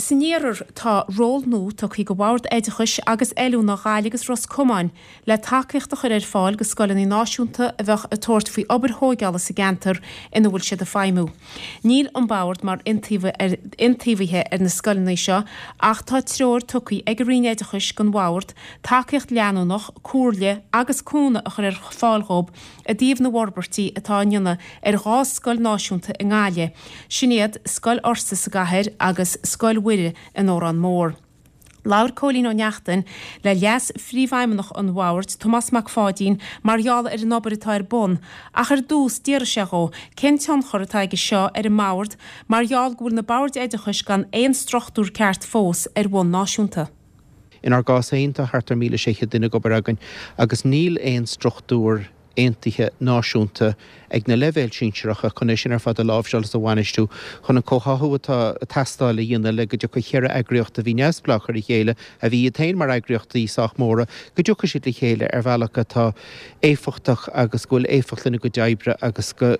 san iarthar, tá ról nua tugtha go Bhord Oideachais agus Oiliúna Ghaillimh agus Ros Comáin le tacaíocht a chur ar fáil go scoileanna náisiúnta a bheadh ag tabhairt faoi obair thóigeála sa gceantar ina bhfuil siad ag feidhmiú. Níl an Bord mar iontaobhaithe ar na scoileanna seo ach tá treoir tugtha ag an Roinn Oideachais don Bhord tacaíocht leanúnach, comhairle agus cúnamh a chur ar fáil dhóibh i dtaobh na bhforbairtí atá á ndéanamh ar 2 scoil náisiúnta i nGaillimh, sin iad Scoil Fhursa sa gcathair agus Scoil Mhuire in Órán Mór. Labhair Cóilín Ó Neachtain le Leas-Phríomhfheidhmeannach an Bhoird, Tomás Mac Pháidín, mar gheall ar an obair atá ar bun, ach ar dtús d'fhiafraigh sé dhó cén tionchar atá aige seo ar an mBord mar gheall go bhfuil na Boird Oideachais gan aon struchtúr ceart fós ar bhonn náisiúnta. Inár gcás féin, tá thart ar 1,600 duine ag obair againn agus níl aon struchtúr aontaithe náisiúnta ag na leibhéil sinsearacha chun é sin ar fad a láimhseáil is a bhainistiú, chun an comhtháthú atá ag teastáil a dhéanamh le go dtiocfaidh cheithre eagraíocht a bhí neamhspleách ar a chéile, a bhí iad féin mar eagraíochtaí sách móra, go dtiocfaidh siad le chéile ar bhealach atá éifeachtach agus go bhfuil éifeacht lena gcuid oibre agus go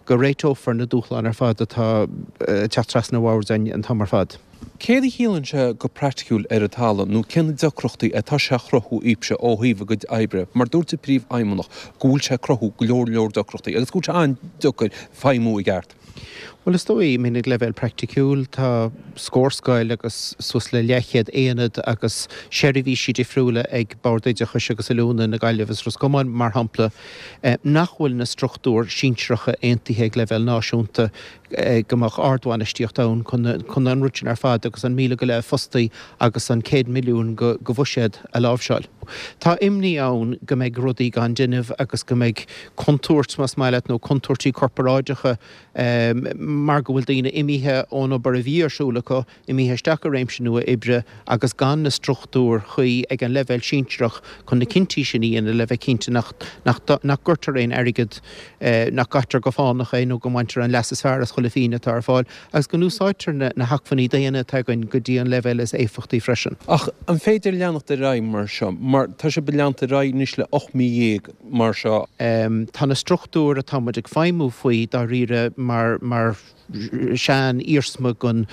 go réiteofar na dúshláin ar fad atá ag teacht trasna ar bhoird an t-am ar fad. Céard a chiallaíonn sé go praiticiúil ar an talamh nó cé na deacrachtaí atá sé a chruthú daoibhse ó thaobh a gcuid oibre? Mar dúirt an Príomhfheidhmeannach go bhfuil sé ag cruthú go leor leor deacrachtaí agus go bhfuil sé an-deacair feidhmiú i gceart. Bhuel is dóigh, I mean ag leibhéal praiticiúil tá scór scoil agus suas le leathchéad aonad agus seirbhísí difriúla ag Bord Oideachais agus Oiliúna na Gaillimhe is Ros Comáin mar shampla nach bhfuil na struchtúir sinsearacha aontaithe ag leibhéal náisiúnta go mbeadh ardbhainistíocht ann chun an rud sin ar fad agus an 1,000 go leith fostaí agus an 100 milliún de bhuiséad a láimhseáil. Tá imní ann go mbeidh rudaí gan déanamh agus go mbeidh contúirt, más maith leat, nó contúirtí corparáideacha mar go bhfuil daoine imithe ón obair a bhí ar siúl acu, imithe isteach i réimse nua oibre agus gan na struchtúir chuí ag an leibhéal sinsearach chun na cinntí sin a dhéanamh le bheith cinnte nach nach gcuirtear aon airgead, nach gcaitear go fánach é nó go mbaintear an leas is fearr as chuile phingin atá ar fáil agus go n-úsáidtear na hacmhainní daonna atá againn go dtí an leibhéal is éifeachtaí freisin. Ach an féidir leanacht ar aghaidh mar seo? Mar tá sibh ag leanacht ar aghaidh anois le 18 mí mar seo. Tá na struchtúir atá muid ag feidhmiú faoi dáiríre mar mar. sean-iarsma den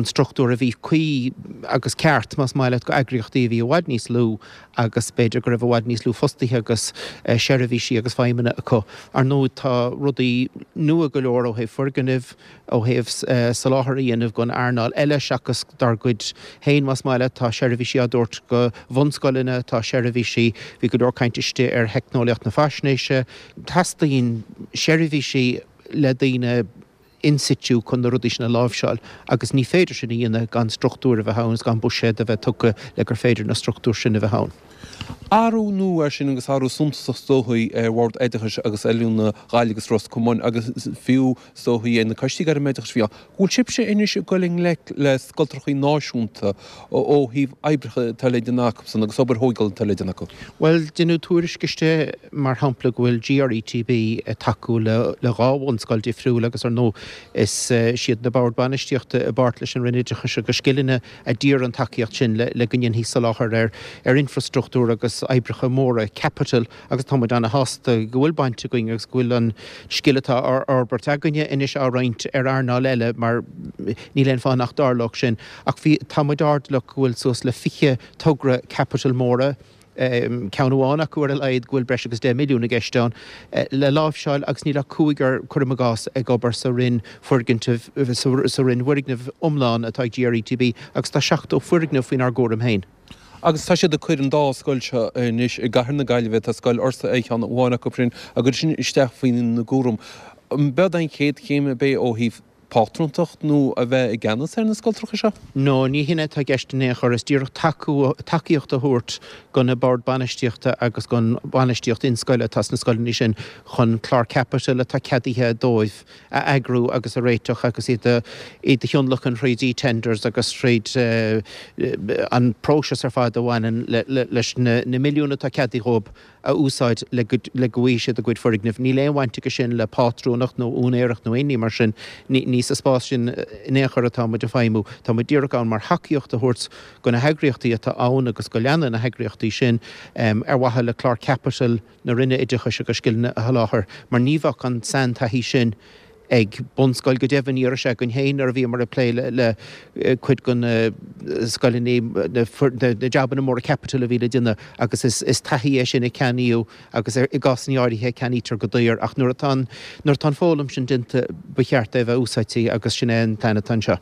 struchtúr a bhí cuí agus ceart, más maith leat, go eagraíochtaí a bhí i bhfad níos lú agus b'fhéidir go raibh i bhfad níos lú fostaithe agus seirbhísí agus feidhmeanna acu. Ar ndóigh, tá rudaí nua go leor ó thaobh foirgnimh, ó thaobh soláthar a dhéanamh don earnáil eile seachas dár gcuid féin, más maith leat. Tá seirbhísí á dtabhairt go bhunscoileanna, tá seirbhísí, bhí go leor caint istigh ar theicneolaíocht na faisnéise. Teastaíonn seirbhísí le daoine in situ chun na rudaí sin a láimhseáil agus ní féidir sin a dhéanamh gan struchtúir a bheith ann agus gan buiséad a bheith tugtha le gur féidir na struchtúir sin a bheith ann. Athrú nua é sin agus athrú suntasach is dóichí ar Bhord Oideachais agus Oiliúna Ghaillimh agus Ros Comáin agus fiú is dóichí ar na coistí gairmoideachais a bhí ann. Go bhfuil sibhse anois ag dul i ngleic le scoltrachaí náisiúnta ó thaobh oibreacha atá le déanamh acusan agus obair thógála atá le déanamh acu. Bhuel, deineadh tuairisc istigh, mar shampla, go bhfuil GRETB ag tacú le dhá bhunscoil difriúil agus, ar ndóigh, is iad na Boird Bainistíochta i bpáirt leis an Roinn Oideachais agus Scileanna a d'iarr an tacaíocht sin le go ndéanfaí soláthar ar infreastruchtúr agus oibreacha móra caipitil agus tá muid ana-shásta go bhfuil baint againn agus go bhfuil an scil atá á fhorbairt againne anois á roinnt ar earnáil eile mar níl aon fáth nach dtarlódh sin. Ach bhí, tá muid airdeallach go bhfuil suas le 20 togra caipitil móra, ceann amháin acu ar a laghad go bhfuil breis agus 10 milliún i gceist ann, le láimhseáil agus níl ach cúigear, cuirim i gcás, ag obair sa roinn foirgnimh, sa roinn bhfoirgneamh iomlán atá ag GRETB agus tá 70 foirgneamh faoinár gcúram féin. Agus tá siad ag cur an dá scoil seo anois i gcathair na Gaillimhe, tá Scoil Fhursa ar cheann amháin acu sin, á gcur sin isteach faoina gcúram. B'eod an chéad chéim ab é ó thaobh pátrúntacht nó a bheith i gceannas ar na scoltracha seo? No, ní hin atá i gceist in aon chor. Is díreach tacú, tacaíocht a thabhairt do na boird bainistíochta agus don bhainistíocht inscoile atá sna scoileanna sin chun clár caipitil atá ceadaithe dóibh a eagrú agus a réiteach agus iad a iad a thionlacan thríd eTenders agus thríd an próiseas ar fad a bhaineann leis na milliúin atá ceadaithe dhóibh a úsáid le go le go bhfaighidh siad a gcuid foirgneamh. Níl aon bhaint aige sin le pátrúnacht nó úinéireacht nó aon ní mar sin. Ní sa spás sin in aon chor atá muid ag feidhmiú. Tá muid díreach ann mar thacaíocht a thabhairt do na heagraíochtaí atá ann agus go leanfaidh na heagraíochtaí sin ar mhaithe le clár caipitil na Roinne Oideachais agus Scileanna a sholáthar mar ní bheadh an saintaithí sin. Ag bunscoil go deimhin, ní raibh sé againn féin nuair a bhíomar ag plé le cuid de na scoileanna, na jabanna móra caipitil a bhí le déanamh agus is taithí é sin a ceannaíodh agus i gcásanna áirithe a ceannaítear go daor ach nuair atá an, nuair atá an foghlaim sin déanta ba cheart é a bheith úsáidte agus sin é an plean atá anseo.